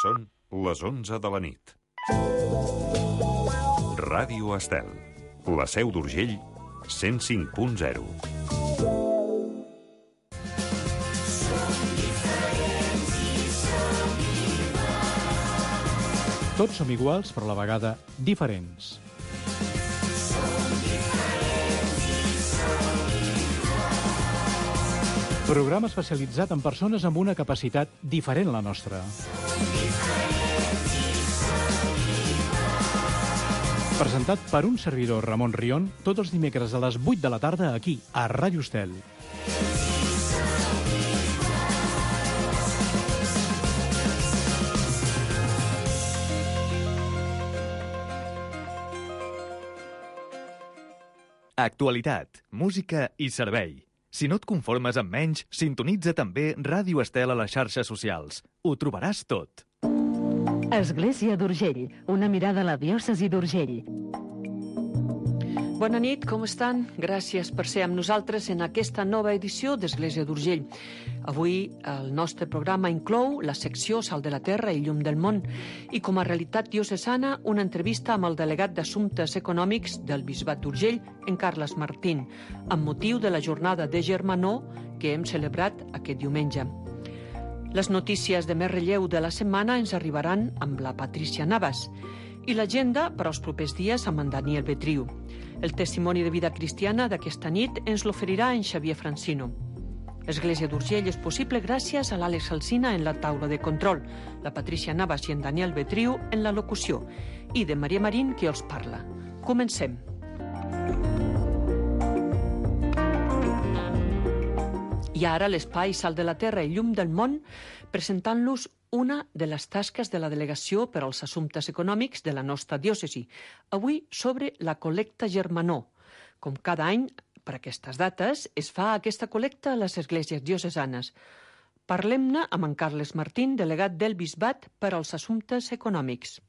Són les 11 de la nit. Ràdio Estel, la Seu d'Urgell, 105.0. Tots som iguals, però a la vegada diferents. Programa especialitzat en persones amb una capacitat diferent a la nostra. Presentat per un servidor, Ramon Rion, tots els dimecres a les 8 de la tarda aquí, a Ràdio Estel. Actualitat, música i servei. Si no et conformes amb menys, sintonitza també Ràdio Estel a les xarxes socials. Ho trobaràs tot. Església d'Urgell, una mirada a la diòcesi d'Urgell. Bona nit, com estan? Gràcies per ser amb nosaltres en aquesta nova edició d'Església d'Urgell. Avui el nostre programa inclou la secció Sal de la Terra i Llum del Món i com a realitat diocesana una entrevista amb el delegat d'Assumptes Econòmics del Bisbat d'Urgell, en Carles Martín, amb motiu de la jornada de Germanor que hem celebrat aquest diumenge. Les notícies de més relleu de la setmana ens arribaran amb la Patrícia Navas i l'agenda per als propers dies amb en Daniel Betriu. El testimoni de vida cristiana d'aquesta nit ens l'oferirà en Xavier Francino. Església d'Urgell és possible gràcies a l'Àlex Alsina en la taula de control, la Patrícia Navas i en Daniel Betriu en la locució i de Maria Marín qui els parla. Comencem. I ara l'espai Sal de la Terra i Llum del Món presentant-los una de les tasques de la Delegació per als Assumptes Econòmics de la nostra diòcesi, avui sobre la col·lecta Germanor. Com cada any, per aquestes dates, es fa aquesta col·lecta a les esglésies diocesanes. Parlem-ne amb en Carles Martín, delegat del Bisbat per als Assumptes Econòmics.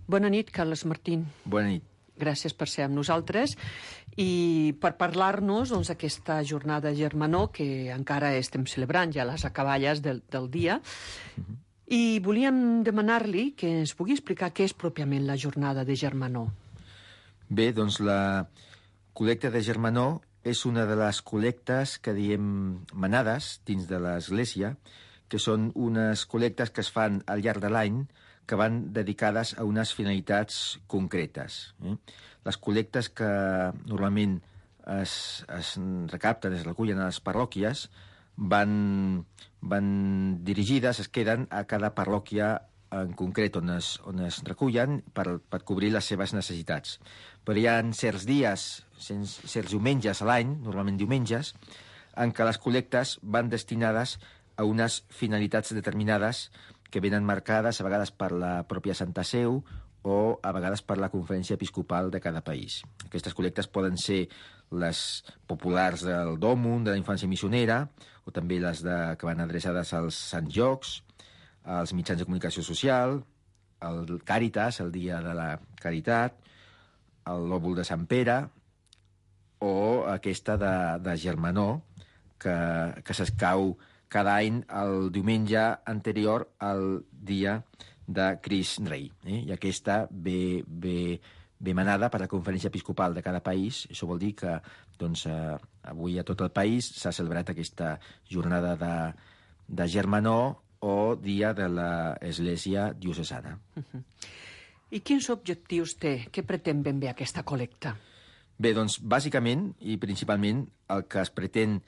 Bona nit, Carles Martín. Bona nit. Gràcies per ser amb nosaltres i per parlar-nos d'aquesta jornada Germanor que encara estem celebrant ja les acaballes del dia. I volíem demanar-li que ens pugui explicar què és pròpiament la jornada de Germanor. Bé, doncs la col·lecta de Germanor és una de les col·lectes que diem manades dins de l'Església, que són unes col·lectes que es fan al llarg de l'any que van dedicades a unes finalitats concretes. Les col·lectes que normalment es recapten, es recullen a les parròquies, van dirigides, es queden a cada parròquia en concret on es recullen per cobrir les seves necessitats. Però hi ha certs dies, certs diumenges a l'any, normalment diumenges, en què les col·lectes van destinades a unes finalitats determinades que venen marcades a vegades per la pròpia Santa Seu o a vegades per la Conferència Episcopal de cada país. Aquestes col·lectes poden ser les populars del Dòmum, de la infància missionera, o també les que van adreçades als Sants Jocs, als mitjans de comunicació social, el Càritas, el Dia de la Caritat, el Lòbul de Sant Pere, o aquesta de Germanor, que s'escau cada any el diumenge anterior al dia de Crist Rei. I aquesta ve manada per la Conferència Episcopal de cada país. Això vol dir que avui a tot el país s'ha celebrat aquesta jornada de Germanor o dia de l'Església diocesana. I quins objectius té? Què pretén ben bé aquesta col·lecta? Bé, doncs, bàsicament i principalment el que es pretén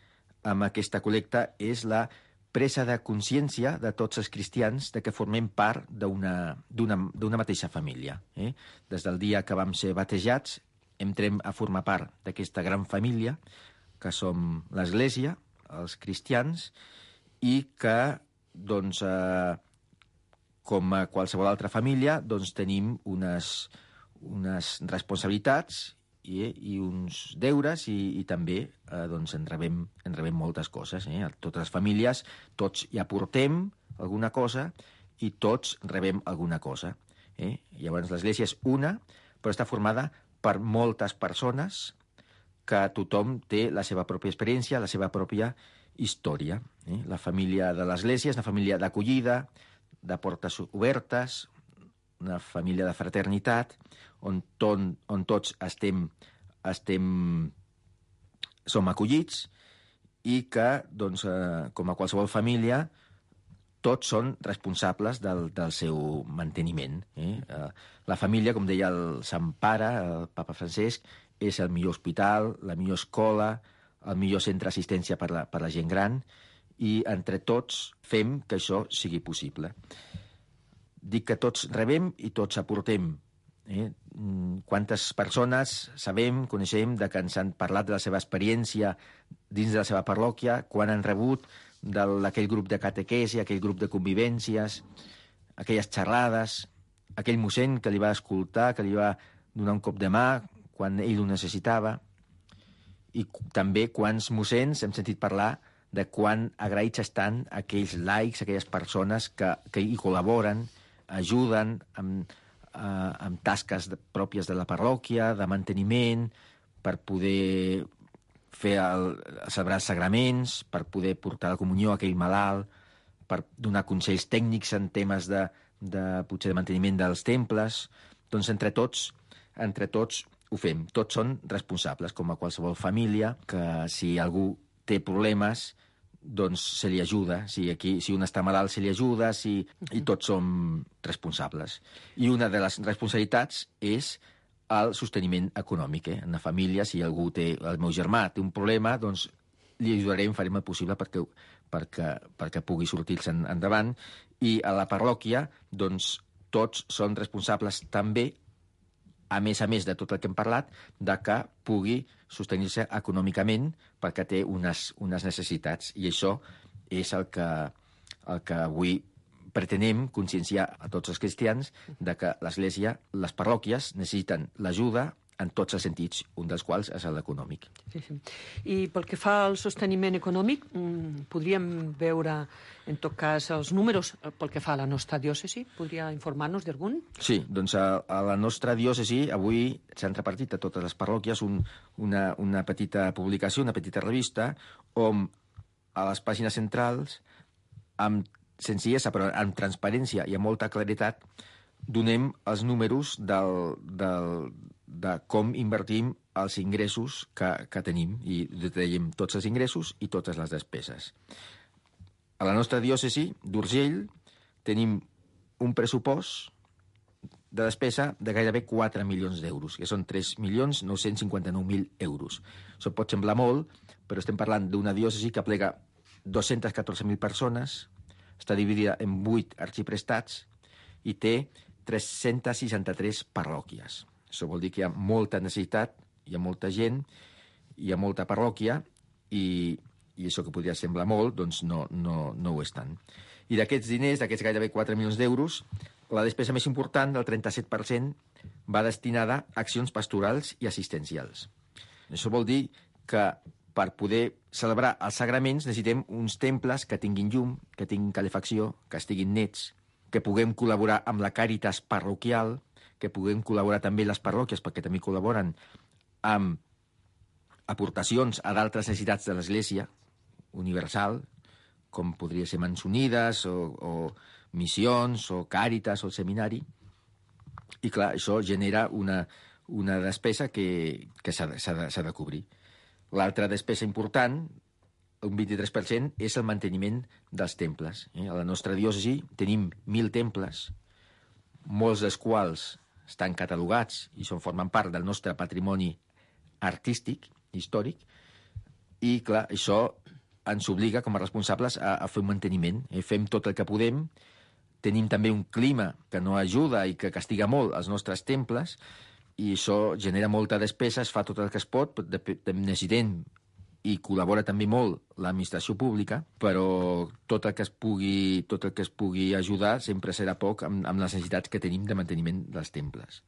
amb aquesta col·lecta és la presa de consciència de tots els cristians de que formem part d'una mateixa família. Des del dia que vam ser batejats, entrem a formar part d'aquesta gran família que som l'Església, els cristians, i que, com a qualsevol altra família, tenim unes responsabilitats i uns deures i també en rebem moltes coses. Totes les famílies, tots hi aportem alguna cosa i tots rebem alguna cosa. Llavors l'Església és una, però està formada per moltes persones que tothom té la seva pròpia experiència, la seva pròpia història. La família de l'Església és una família d'acollida, de portes obertes, una família de fraternitat, on tots som acollits i que, doncs, com a qualsevol família, tots són responsables del seu manteniment. La família, com deia el Sant Pare, el papa Francesc, és el millor hospital, la millor escola, el millor centre d'assistència per la gent gran, i entre tots fem que això sigui possible. Dic que tots rebem i tots aportem. Quantes persones coneixem que ens han parlat de la seva experiència dins de la seva parròquia, quan han rebut d'aquell grup de catequesi, aquell grup de convivències, aquelles xerrades, aquell mossèn que li va escoltar, que li va donar un cop de mà quan ell ho necessitava, i també quants mossens hem sentit parlar de quan agraïts estan aquells laics, aquelles persones que hi col·laboren, ajuden amb tasques pròpies de la parròquia, de manteniment, per poder celebrar els sagraments, per poder portar la comunió a aquell malalt, per donar consells tècnics en temes potser de manteniment dels temples. Doncs entre tots ho fem. Tots són responsables, com a qualsevol família, que si algú té problemes, doncs se li ajuda. Si un està malalt, se li ajuda, i tots som responsables. I una de les responsabilitats és el sosteniment econòmic. En la família, si algú el meu germà té un problema, doncs li ajudarem, farem el possible perquè pugui sortir-se endavant. I a la parròquia, doncs, tots són responsables també, a més de tot el que hem parlat, de que pugui sostenir-se econòmicament perquè té unes necessitats. I això és el que avui pretenem conscienciar a tots els cristians de que l'Església, les parròquies, necessiten l'ajuda en tots els sentits, un dels quals és l'econòmic. Sí. I pel que fa al sosteniment econòmic, podríem veure, en tot cas, els números pel que fa a la nostra diòcesi? Podria informar-nos d'algun? Sí, doncs a la nostra diòcesi avui s'han repartit a totes les parròquies una petita publicació, una petita revista, on a les pàgines centrals, amb senzillesa, però amb transparència i amb molta claretat, donem els números de com invertim els ingressos que tenim, i detallem tots els ingressos i totes les despeses. A la nostra diòcesi d'Urgell tenim un pressupost de despesa de gairebé 4 milions d'euros, que són 3.959.000 euros. Això pot semblar molt, però estem parlant d'una diòcesi que aplega 214.000 persones, està dividida en 8 arxiprestats i té 363 parròquies. Això vol dir que hi ha molta necessitat, hi ha molta gent, hi ha molta parròquia, i això que podria semblar molt, doncs no ho és tant. I d'aquests diners, d'aquests gairebé 4 milions d'euros, la despesa més important, del 37%, va destinada a accions pastorals i assistencials. Això vol dir que per poder celebrar els sagraments necessitem uns temples que tinguin llum, que tinguin calefacció, que estiguin nets, que puguem col·laborar amb la Càritas parroquial, que puguem col·laborar també les parròquies, perquè també col·laboren amb aportacions a d'altres necessitats de l'Església universal, com podria ser Mans Unides, o missions, o Càritas, o el seminari. I clar, això genera una despesa que s'ha de cobrir. L'altra despesa important, un 23%, és el manteniment dels temples. A la nostra diòcesi tenim 1.000 temples, molts dels quals estan catalogats i formen part del nostre patrimoni artístic, històric, i clar, això ens obliga com a responsables a fer un manteniment. Fem tot el que podem, tenim també un clima que no ajuda i que castiga molt els nostres temples, i això genera molta despesa, es fa tot el que es pot, necessitem i col·labora també molt l'administració pública, però tot el que es pugui ajudar sempre serà poc amb les necessitats que tenim de manteniment dels temples.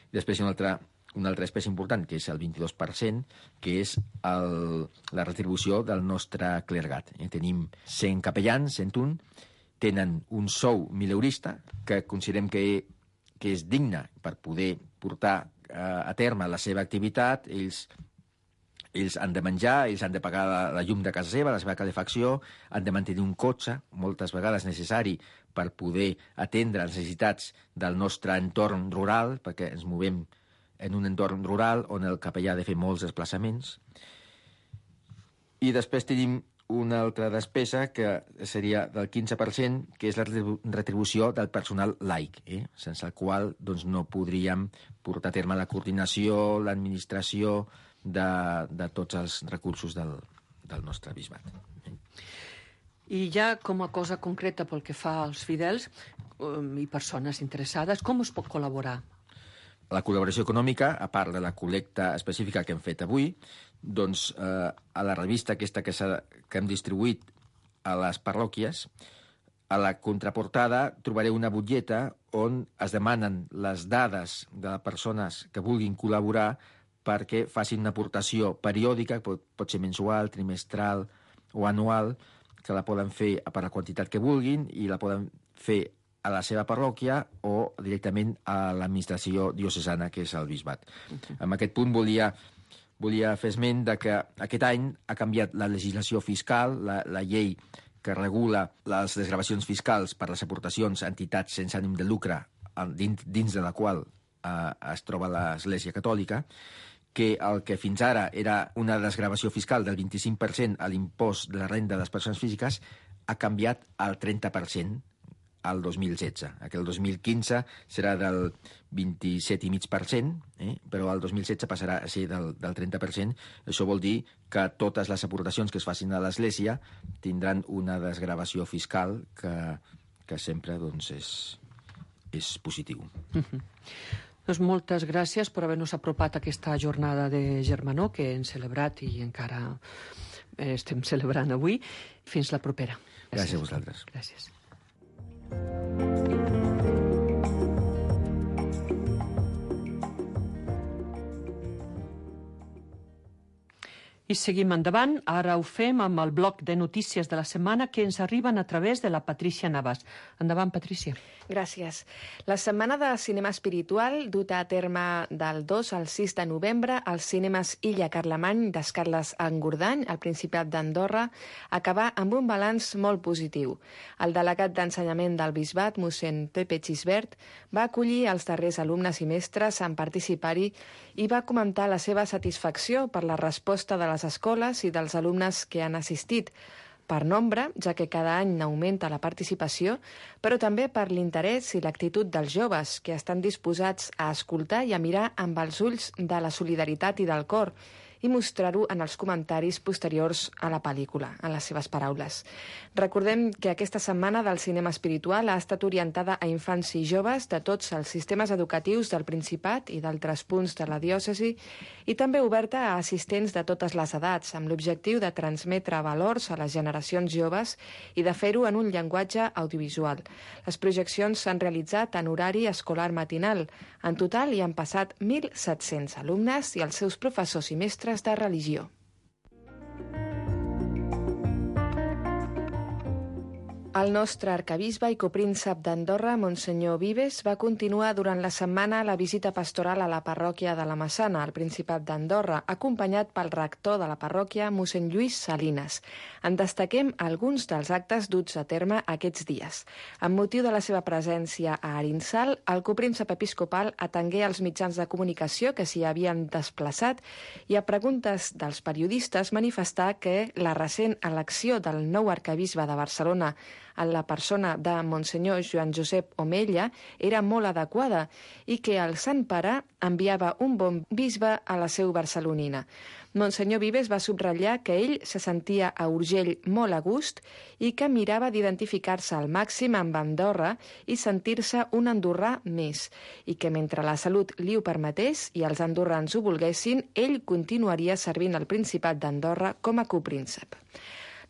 I després hi ha una altra despesa important, que és el 22%, que és la retribució del nostre clergat. Tenim 100 capellans, 101, tenen un sou mileurista, que considerem que és digne per poder portar a terme la seva activitat. Ells han de menjar, ells han de pagar la llum de casa seva, la seva calefacció, han de mantenir un cotxe, moltes vegades necessari per poder atendre les necessitats del nostre entorn rural, perquè ens movem en un entorn rural on el capellà ha de fer molts desplaçaments. I després tenim una altra despesa que seria del 15%, que és la retribució del personal laic, sense el qual doncs, no podríem portar a terme la coordinació, l'administració de tots els recursos del nostre bisbat. I ja com a cosa concreta pel que fa als fidels i persones interessades, com es pot col·laborar? La col·laboració econòmica, a part de la col·lecta específica que hem fet avui, doncs a la revista aquesta que hem distribuït a les parròquies, a la contraportada trobareu una butlleta on es demanen les dades de les persones que vulguin col·laborar perquè facin una aportació periòdica, pot ser mensual, trimestral o anual, que la poden fer per la quantitat que vulguin i la poden fer a la seva parròquia o directament a l'administració diocesana, que és el bisbat. En aquest punt volia fer esment de que aquest any ha canviat la legislació fiscal, la llei que regula les desgravacions fiscals per les aportacions a entitats sense ànim de lucre dins de la qual es troba l'Església Catòlica, que el que fins ara era una desgravació fiscal del 25% a l'impost de la renda de les persones físiques ha canviat al 30% al 2016. El 2015 serà del 27,5%, però el 2016 passarà a ser del 30%. Això vol dir que totes les aportacions que es facin a l'Església tindran una desgravació fiscal que sempre doncs, és positiu. Doncs moltes gràcies per haver-nos apropat a aquesta jornada de Germanor que hem celebrat i encara estem celebrant avui. Fins la propera. Gràcies a vosaltres. Gràcies. I seguim endavant. Ara ho fem amb el bloc de notícies de la setmana que ens arriben a través de la Patrícia Navas. Endavant, Patrícia. Gràcies. La setmana de cinema espiritual, duta a terme del 2 al 6 de novembre als cinemes Illa Carlemany d'Escarles Engordany, al Principat d'Andorra, acabà amb un balanç molt positiu. El delegat d'ensenyament del bisbat, mossèn Pepe Xisbert, va acollir els darrers alumnes i mestres en participar-hi i va comentar la seva satisfacció per la resposta de les escoles i dels alumnes que han assistit, per nombre, ja que cada any n'augmenta la participació, però també per l'interès i l'actitud dels joves, que estan disposats a escoltar i a mirar amb els ulls de la solidaritat i del cor, i mostrar-ho en els comentaris posteriors a la pel·lícula, en les seves paraules. Recordem que aquesta setmana del cinema espiritual ha estat orientada a infants i joves de tots els sistemes educatius del Principat i d'altres punts de la diòcesi i també oberta a assistents de totes les edats, amb l'objectiu de transmetre valors a les generacions joves i de fer-ho en un llenguatge audiovisual. Les projeccions s'han realitzat en horari escolar matinal. En total hi han passat 1.700 alumnes i els seus professors i mestres de religió. El nostre arquebisbe i copríncep d'Andorra, Monsenyor Vives, va continuar durant la setmana la visita pastoral a la parròquia de la Massana, al Principat d'Andorra, acompanyat pel rector de la parròquia, mossèn Lluís Salinas. En destaquem alguns dels actes duts a terme aquests dies. Amb motiu de la seva presència a Arinsal, el copríncep episcopal atengué els mitjans de comunicació que s'hi havien desplaçat i a preguntes dels periodistes manifestar que la recent elecció del nou arquebisbe de Barcelona en la persona de Monsenyor Joan Josep Omella era molt adequada i que el Sant Pare enviava un bon bisbe a la seu barcelonina. Monsenyor Vives va subratllar que ell se sentia a Urgell molt a gust i que mirava d'identificar-se al màxim amb Andorra i sentir-se un andorrà més, i que mentre la salut li ho permetés i els andorrans ho volguessin, ell continuaria servint al Principat d'Andorra com a copríncep.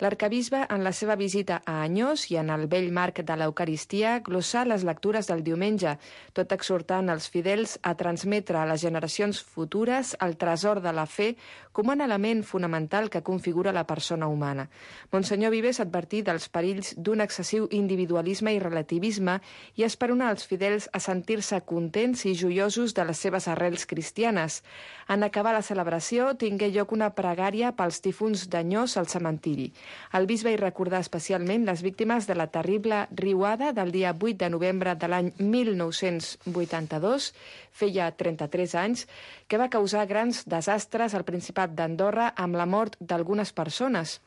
L'arquebisbe, en la seva visita a Anyós i en el vell marc de l'Eucaristia, glossà les lectures del diumenge, tot exhortant els fidels a transmetre a les generacions futures el tresor de la fe com un element fonamental que configura la persona humana. Monsenyor Vives advertí dels perills d'un excessiu individualisme i relativisme i esperonar els fidels a sentir-se contents i joiosos de les seves arrels cristianes. En acabar la celebració, tingué lloc una pregària pels difunts d'Anyós al cementiri. El bisbe hi recordà especialment les víctimes de la terrible riuada del dia 8 de novembre de l'any 1982, feia 33 anys, que va causar grans desastres al Principat d'Andorra amb la mort d'algunes persones.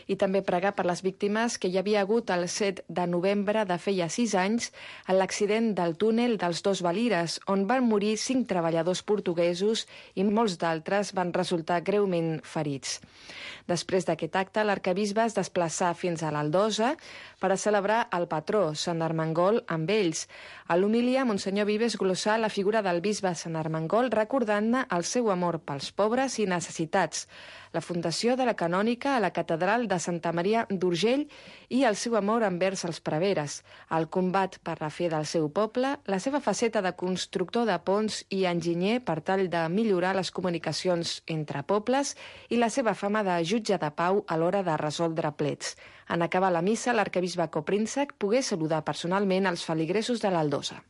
I també pregar per les víctimes que hi havia hagut el 7 de novembre de feia 6 anys en l'accident del túnel dels Dos Valires, on van morir 5 treballadors portuguesos i molts d'altres van resultar greument ferits. Després d'aquest acte, l'arquebisbe es desplaçà fins a l'Aldosa per a celebrar el patró, Sant Armengol, amb ells. A l'homilia, Monsenyor Vives glossà la figura del bisbe Sant Armengol recordant-ne el seu amor pels pobres i necessitats, la fundació de la canònica a la catedral de Santa Maria d'Urgell i el seu amor envers els preveres, el combat per la fe del seu poble, la seva faceta de constructor de ponts i enginyer per tal de millorar les comunicacions entre pobles i la seva fama de jutge de pau a l'hora de resoldre plets. En acabar la missa, l'arquebisbe Koprinček pogué saludar personalment els feligresos de l'Aldosa.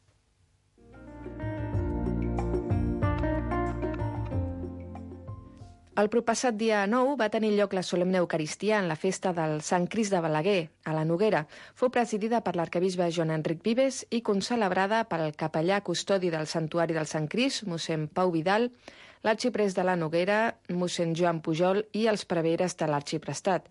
El proppassat dia 9 va tenir lloc la solemne Eucaristia en la festa del Sant Crist de Balaguer, a la Noguera. Fou presidida per l'arquebisbe Joan Enric Vives i concelebrada pel capellà custodi del Santuari del Sant Crist, mossèn Pau Vidal, l'arxiprest de la Noguera, mossèn Joan Pujol i els preveres de l'arxiprestat.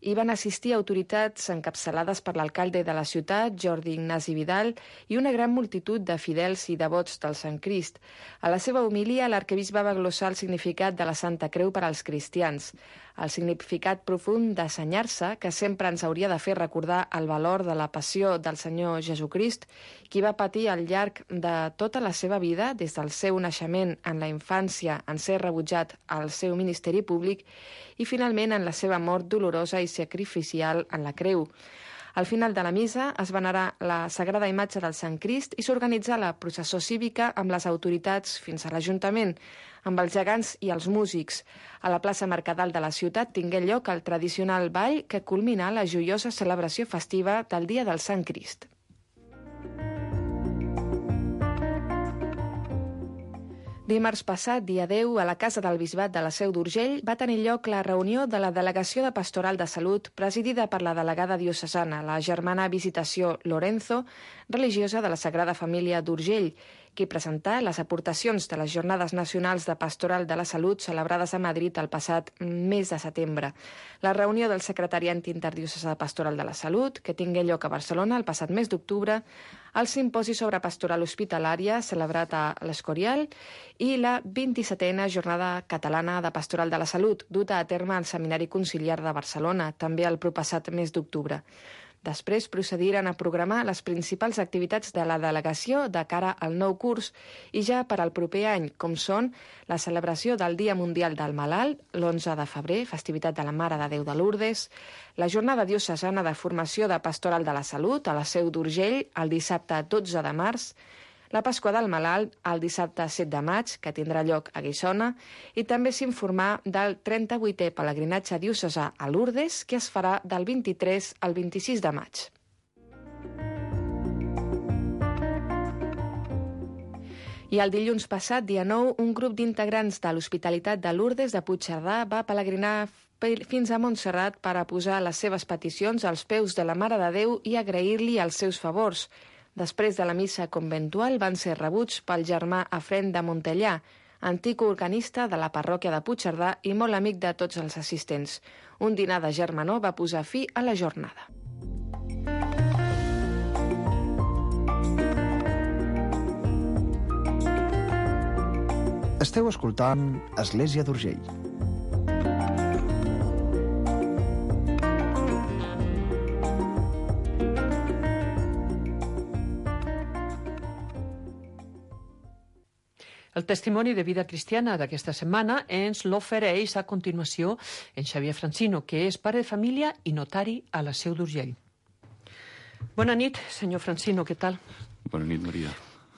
Hi van assistir autoritats encapçalades per l'alcalde de la ciutat, Jordi Ignasi Vidal, i una gran multitud de fidels i devots del Sant Crist. A la seva homilia, l'arquebisbe va glossar el significat de la Santa Creu per als cristians, el significat profund d'assenyar-se que sempre ens hauria de fer recordar el valor de la passió del Senyor Jesucrist, qui va patir al llarg de tota la seva vida, des del seu naixement en la infància en ser rebutjat al seu ministeri públic i finalment en la seva mort dolorosa i sacrificial en la creu. Al final de la missa es venerà la sagrada imatge del Sant Crist i s'organitza la processó cívica amb les autoritats fins a l'Ajuntament, amb els gegants i els músics. A la plaça Mercadal de la ciutat tingué lloc el tradicional ball que culmina la joiosa celebració festiva del Dia del Sant Crist. Dimarts passat, dia 10, a la Casa del Bisbat de la Seu d'Urgell va tenir lloc la reunió de la Delegació de Pastoral de Salut presidida per la delegada diocesana, la germana Visitació Lorenzo, religiosa de la Sagrada Família d'Urgell, qui presentà les aportacions de les Jornades Nacionals de Pastoral de la Salut celebrades a Madrid el passat mes de setembre. La reunió del Secretariat Interdiocesà de Pastoral de la Salut, que tingué lloc a Barcelona el passat mes d'octubre, el simposi sobre pastoral hospitalària celebrat a l'Escorial i la 27a Jornada Catalana de Pastoral de la Salut, duta a terme al Seminari Conciliar de Barcelona, també el proppassat mes d'octubre. Després procediren a programar les principals activitats de la delegació de cara al nou curs i ja per al proper any, com són la celebració del Dia Mundial del Malalt, l'11 de febrer, festivitat de la Mare de Déu de Lourdes, la Jornada Diocesana de Formació de Pastoral de la Salut a la Seu d'Urgell el dissabte 12 de març, la Pasqua del Malalt el dissabte 7 de maig, que tindrà lloc a Guissona, i també s'informà del 38è pelegrinatge diocesà a Lourdes, que es farà del 23 al 26 de maig. I el dilluns passat, dia 9, un grup d'integrants de l'Hospitalitat de Lourdes de Puigcerdà va pelegrinar fins a Montserrat per a posar les seves peticions als peus de la Mare de Déu i agrair-li els seus favors. Després de la missa conventual van ser rebuts pel germà Efrén de Montellà, antic organista de la parròquia de Puigcerdà i molt amic de tots els assistents. Un dinar de germanor va posar fi a la jornada. Esteu escoltant Església d'Urgell. El testimoni de vida cristiana d'aquesta setmana ens l'ofereix a continuació en Xavier Francino, que és pare de família i notari a la Seu d'Urgell. Bona nit, senyor Francino, què tal? Bona nit, Maria.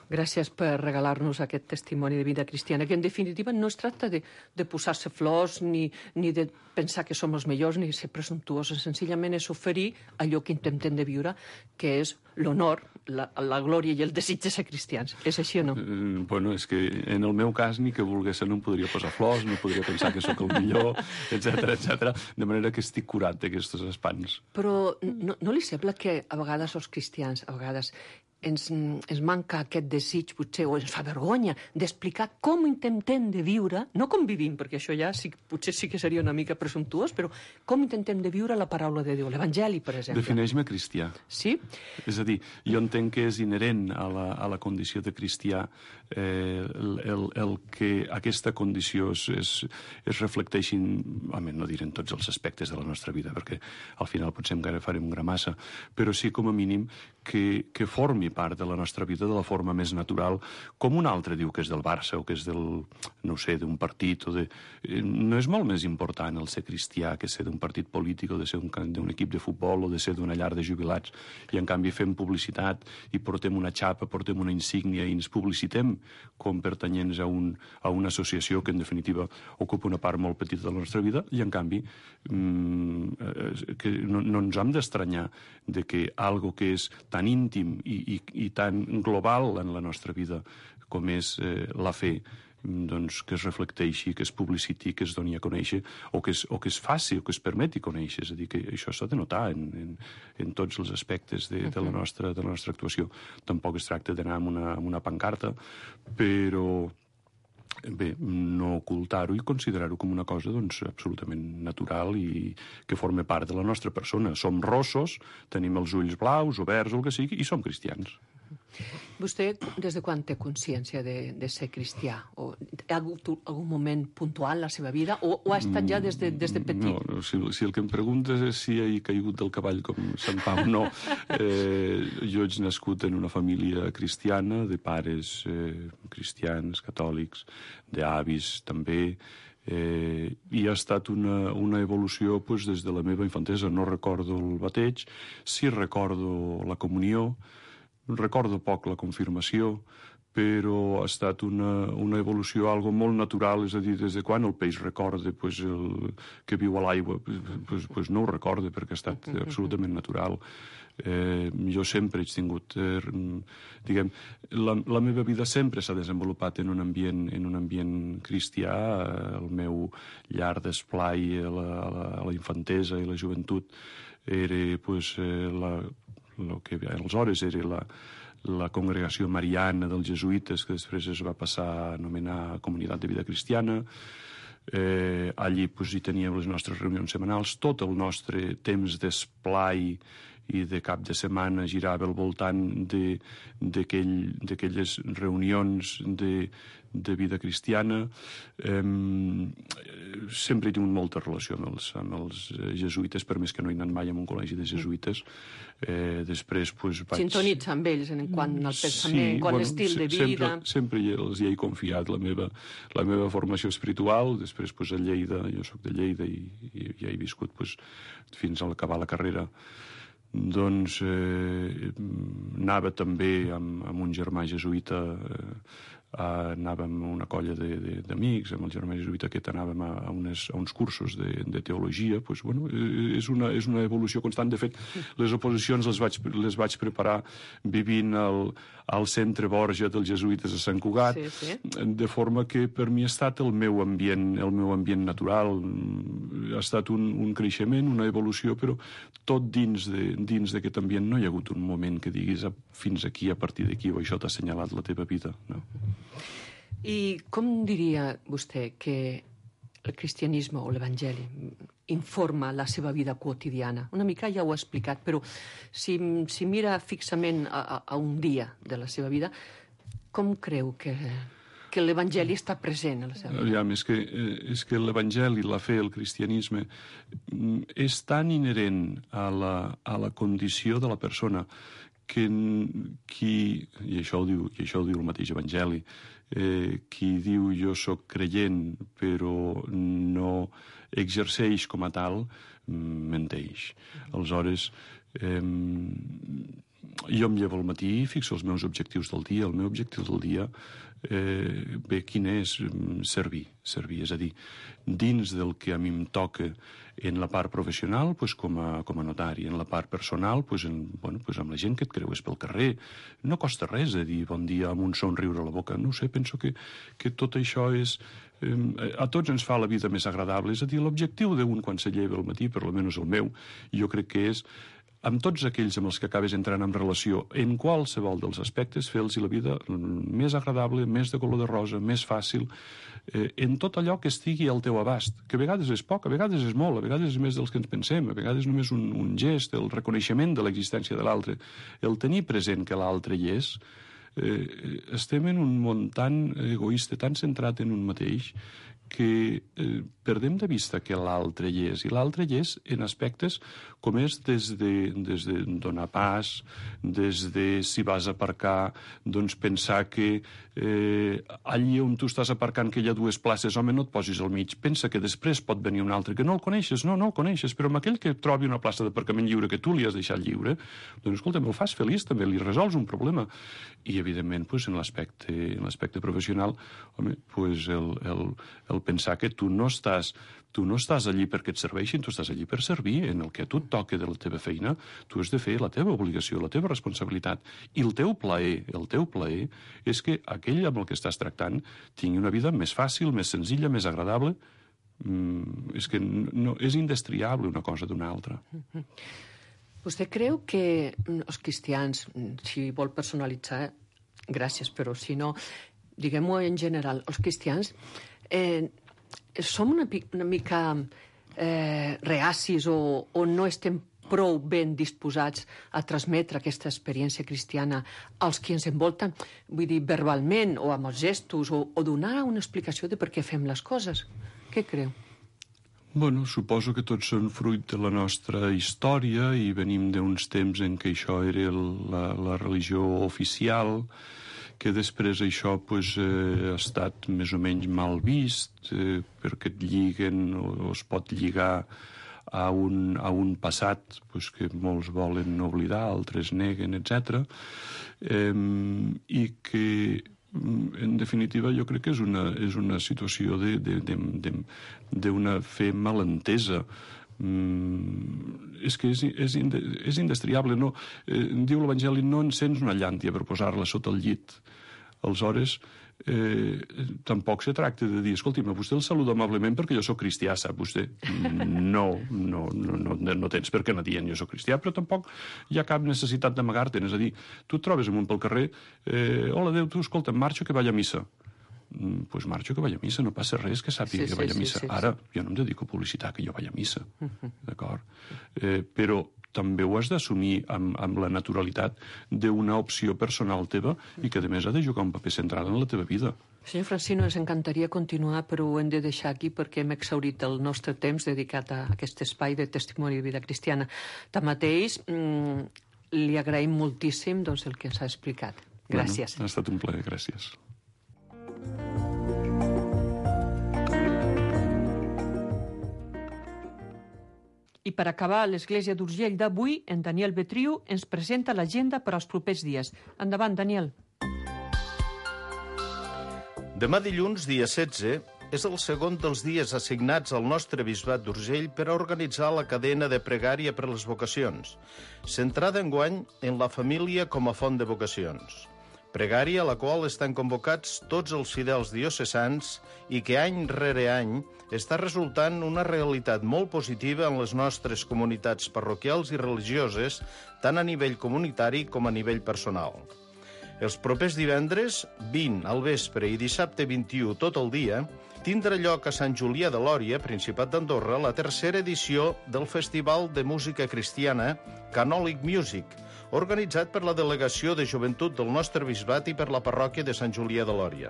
Gràcies per regalar-nos aquest testimoni de vida cristiana, que en definitiva no es tracta de posar-se flors ni de pensar que som els millors ni ser presumptuosos, senzillament és oferir allò que intentem de viure, que és l'honor, la glòria i el desig de ser cristians. És així o no? Bueno, és que en el meu cas ni que volgués no em podria posar flors, no podria pensar que sóc el millor, etc. De manera que estic curat d'aquests espants. Però no li sembla que a vegades els cristians, a vegades ens manca aquest desig, potser, o ens fa vergonya, d'explicar com intentem de viure, no com vivim, perquè això ja potser sí que seria una mica presumptuós, però com intentem de viure la paraula de Déu, l'Evangeli, per exemple. Defineix-me cristià. Sí? És a dir, jo entenc que és inherent a la condició de cristià el que aquesta condició es reflecteixi, no diré en tots els aspectes de la nostra vida, perquè al final potser encara farem gramassa, però sí com a mínim que formi part de la nostra vida de la forma més natural, com un altre diu que és del Barça o que és d'un partit no és molt més important el ser cristià que ser d'un partit polític o de ser d'un equip de futbol o de ser d'una llar de jubilats, i en canvi fem publicitat i portem una xapa, portem una insígnia i ens publicitem com pertanyents a una associació que en definitiva ocupa una part molt petita de la nostra vida, i en canvi que no ens hem d'estranyar de que algo que és tan íntim i tan global en la nostra vida com és la fe, doncs que es reflecteixi, que es publiciti, que es doni a conèixer, o que es faci, o que es permeti conèixer. És a dir, que això s'ha de notar en tots els aspectes de la nostra actuació. Tampoc es tracta d'anar amb una pancarta, però bé, no ocultar-ho i considerar-ho com una cosa absolutament natural i que forma part de la nostra persona. Som rossos, tenim els ulls blaus, oberts, el que sigui, i som cristians. Vostè, des de quan té consciència de ser cristià? O ha hagut algun moment puntual en la seva vida? O ha estat ja des de petit? No, si el que em preguntes és si he caigut del cavall com Sant Pau, no. Jo he nascut en una família cristiana, de pares cristians, catòlics, d'avis també, i ha estat una evolució des de la meva infantesa. No recordo el bateig, sí recordo la comunió, recordo poc la confirmació, però ha estat una evolució, algo molt natural, és a dir, des de quan el peix recorda que viu a l'aigua, no ho recorda, perquè ha estat absolutament natural. Jo sempre he tingut, la meva vida sempre s'ha desenvolupat en un ambient cristià. El meu llar d'esplai a la infantesa i la joventut era el que aleshores era la congregació mariana dels jesuïtes, que després es va passar a anomenar Comunitat de Vida Cristiana. Allí hi teníem les nostres reunions setmanals. Tot el nostre temps d'esplai i de cap de setmana girava al voltant d'aquelles reunions de vida cristiana. Sempre he tingut molta relació amb els jesuïtes, per més que no he anat mai a un col·legi de jesuïtes. Després vaig... Sintonitza amb ells en quant al pensament, quant a l'estil de vida... Sempre els hi he confiat la meva formació espiritual. Després a Lleida, jo soc de Lleida i ja he viscut fins a acabar la carrera. Doncs anava també amb un germà jesuïta, anàvem a una colla d'amics, amb el germà jesuïta aquest anàvem a uns cursos de teologia. És una evolució constant. De fet, les oposicions les vaig preparar vivint al centre Borja dels jesuïtes a Sant Cugat, de forma que per mi ha estat el meu ambient natural. Ha estat un creixement, una evolució, però tot dins d'aquest ambient no hi ha hagut un moment que diguis fins aquí, a partir d'aquí, o això t'ha assenyalat la teva vida. No? I com diria vostè que el cristianisme o l'Evangeli informa la seva vida quotidiana? Una mica ja ho ha explicat, però si mira fixament a un dia de la seva vida, com creu que l'Evangeli està present a la seva vida? És que l'Evangeli, la fe, el cristianisme, és tan inherent a la condició de la persona que i això ho diu el mateix Evangeli, qui diu jo sóc creient però no exerceix com a tal, menteix. Aleshores, jo em llevo al matí i fixo els meus objectius del dia. El meu objectiu del dia, quin és? Servir. És a dir, dins del que a mi em toca en la part professional, com a notari, en la part personal, amb la gent que et creues pel carrer. No costa res dir bon dia amb un somriure a la boca. No ho sé, penso que tot això és... a tots ens fa la vida més agradable. És a dir, l'objectiu d'un quan se lleva al matí, per almenys el meu, jo crec que és amb tots aquells amb els que acabes entrant en relació, en qualsevol dels aspectes, fer-los la vida més agradable, més de color de rosa, més fàcil, en tot allò que estigui al teu abast, que a vegades és poc, a vegades és molt, a vegades és més dels que ens pensem, a vegades només un gest, el reconeixement de l'existència de l'altre, el tenir present que l'altre hi és. Estem en un món tan egoista, tan centrat en un mateix, que perdem de vista que l'altre hi és, i l'altre hi és en aspectes com és des de donar pas, des de si vas a aparcar, doncs pensar que allí on tu estàs aparcant que hi ha dues places, home, no et posis al mig, pensa que després pot venir un altre, que no el coneixes, no el coneixes, però amb aquell que trobi una plaça d'aparcament lliure que tu li has deixat lliure, doncs escolta, el fas feliç també, li resols un problema. I evidentment, en l'aspecte professional, home, el pensar que tu no estàs allí perquè et serveixin, tu estàs allí per servir. En el que a tu et toca de la teva feina, tu has de fer la teva obligació, la teva responsabilitat. I el teu plaer és que aquell amb el que estàs tractant tingui una vida més fàcil, més senzilla, més agradable. És que no, és indestriable una cosa d'una altra. Vostè creu que els cristians, si vol personalitzar, gràcies, però si no, diguem-ho en general, els cristians som una mica reacis o no estem prou ben disposats a transmetre aquesta experiència cristiana als qui ens envolten, vull dir, verbalment o amb els gestos, o donar una explicació de per què fem les coses. Què creu? Bueno, suposo que tots són fruit de la nostra història i venim d'uns temps en què això era la religió oficial, que després això ha estat més o menys mal vist, perquè et lliguen o es pot lligar a un passat que molts volen oblidar, altres neguen, etc. I que, en definitiva, jo crec que és una situació d'una fe malentesa. És que és indestriable. No? Diu l'Evangeli, no encens una llàntia per posar-la sota el llit. Aleshores, tampoc se tracta de dir, escolti'm, vostè el saluda amablement perquè jo sóc cristià, sap vostè? No tens per què anar dient jo sóc cristià, però tampoc hi ha cap necessitat d'amagar-te'n. És a dir, tu et trobes amunt pel carrer, hola, Déu, tu, escolta, marxo que vaig a missa. Pues marxo que vaig a missa, no passa res que sàpiga que vaig a missa. Ara, jo no em dedico a publicitar que jo vaig a missa, d'acord? Però també ho has d'assumir amb la naturalitat d'una opció personal teva i que, a més, ha de jugar un paper central en la teva vida. Senyor Francino, ens encantaria continuar, però ho hem de deixar aquí perquè hem exhaurit el nostre temps dedicat a aquest espai de testimoni de vida cristiana. Tanmateix, li agraïm moltíssim el que ens ha explicat. Gràcies. Ha estat un plaer, gràcies. I per acabar l'Església d'Urgell d'avui, en Daniel Betriu ens presenta l'agenda per als propers dies. Endavant, Daniel. Demà dilluns, dia 16, és el segon dels dies assignats al nostre bisbat d'Urgell per a organitzar la cadena de pregària per a les vocacions, centrada enguany en la família com a font de vocacions. Pregària a la qual estan convocats tots els fidels diocesans i que any rere any està resultant una realitat molt positiva en les nostres comunitats parroquials i religioses, tant a nivell comunitari com a nivell personal. Els propers divendres, 20 al vespre i dissabte 21 tot el dia, tindrà lloc a Sant Julià de Lòria, Principat d'Andorra, la tercera edició del Festival de Música Cristiana Canòlic Music, organitzat per la Delegació de Joventut del nostre bisbat i per la parròquia de Sant Julià de Lòria.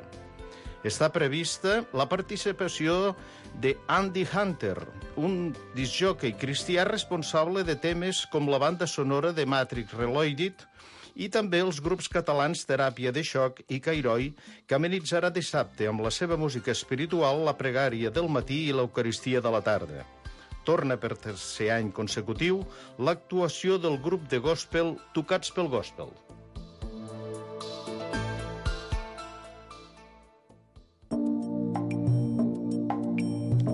Està prevista la participació de Andy Hunter, un discjòquei cristià responsable de temes com la banda sonora de Matrix Reloaded i també els grups catalans Teràpia de Xoc i Cairoi, que amenitzarà dissabte amb la seva música espiritual la pregària del matí i l'Eucaristia de la tarda. torna per tercer any consecutiu l'actuació del grup de gospel Tocats pel Gospel.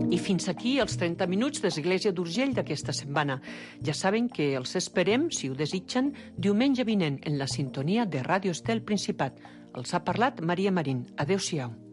I fins aquí els 30 minuts d'Església d'Urgell d'aquesta setmana. Ja saben que els esperem, si ho desitgen, diumenge vinent en la sintonia de Ràdio Estel Principat. Els ha parlat Maria Marín. Adéu-siau.